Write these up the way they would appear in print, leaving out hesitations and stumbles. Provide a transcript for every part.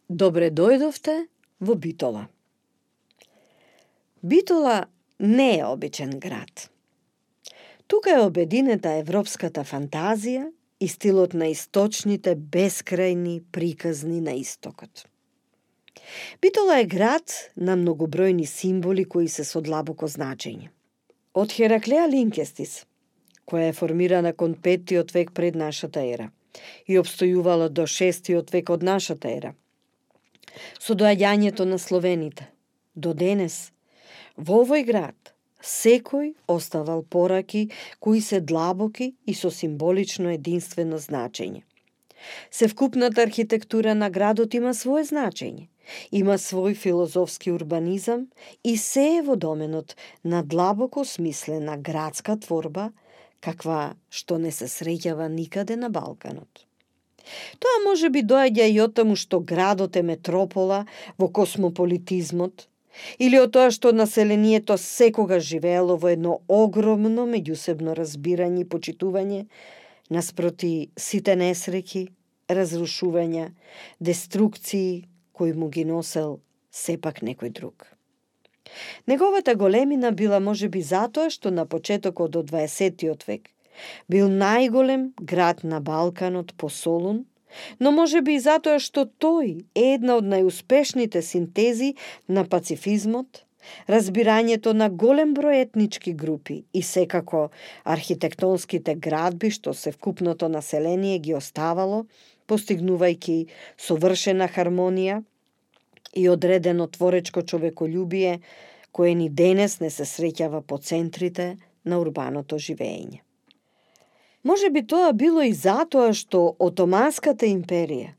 Добре дојдовте во Битола. Битола не е обичен град. Тука е обединета европската фантазија и стилот на источните бескрајни приказни на истокот. Битола е град на многобројни символи кои се со длабоко значење. Од Хераклеја Линкестис, која е формирана кон 5 век пред нашата ера и обстојувала до 6 век од нашата ера, со доаѓањето на словените, до денес, во овој град, секој оставал пораки кои се длабоки и со символично единствено значење. Севкупната архитектура на градот има свое значење, има свој филозофски урбанизам и се е во доменот на длабоко смислена градска творба, каква што не се среќава никаде на Балканот. Тоа може би доаѓа и од таму што градот е метропола во космополитизмот, или од тоа што населението секогаш живеело во едно огромно меѓусебно разбирање и почитување наспроти сите несреќи, разрушувања, деструкции кои му ги носел сепак некој друг. Неговата големина била можеби затоа што на почетокот од 20 век бил најголем град на Балканот по Солун, но можеби и затоа што тој е една од најуспешните синтези на пацифизмот, разбирањето на голем број етнички групи и секако архитектонските градби што севкупното население ги оставало, постигнувајќи совршена хармонија и одредено творечко човеколюбие, кое ни денес не се среќава по центрите на урбаното живење. Може би тоа било и затоа што Отоманската империја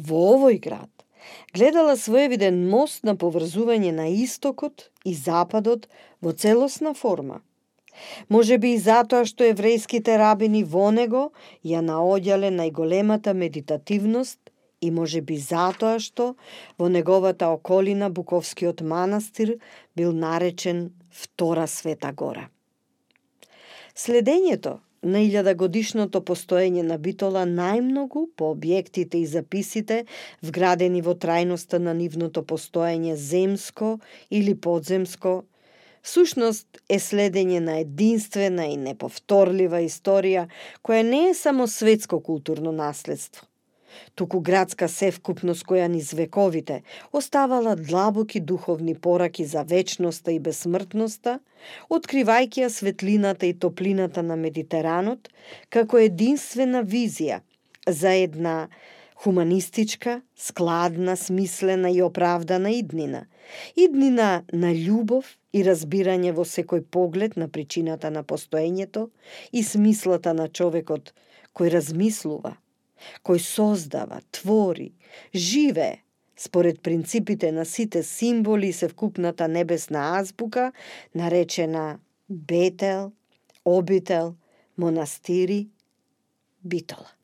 во овој град гледала своевиден мост на поврзување на истокот и западот во целосна форма. Може би и затоа што еврејските рабини во него ја наоѓале најголемата медитативност и може би затоа што во неговата околина Буковскиот манастир бил наречен Втора Света Гора. Следењето на 1000-годишното постоење на Битола најмногу по објектите и записите вградени во трајноста на нивното постоење земско или подземско, всушност е следење на единствена и неповторлива историја која не е само светско културно наследство, туку градска севкупност која низ вековите оставала длабоки духовни пораки за вечноста и бесмртноста, откривајќи ја светлината и топлината на Медитеранот како единствена визија за една хуманистичка, складна, смислена и оправдана иднина. Иднина на љубов и разбирање во секој поглед на причината на постоењето и смислата на човекот кој размислува, кој создава, твори, живее според принципите на сите символи и севкупната небесна азбука, наречена Бетел, Обител, Монастири, Битола.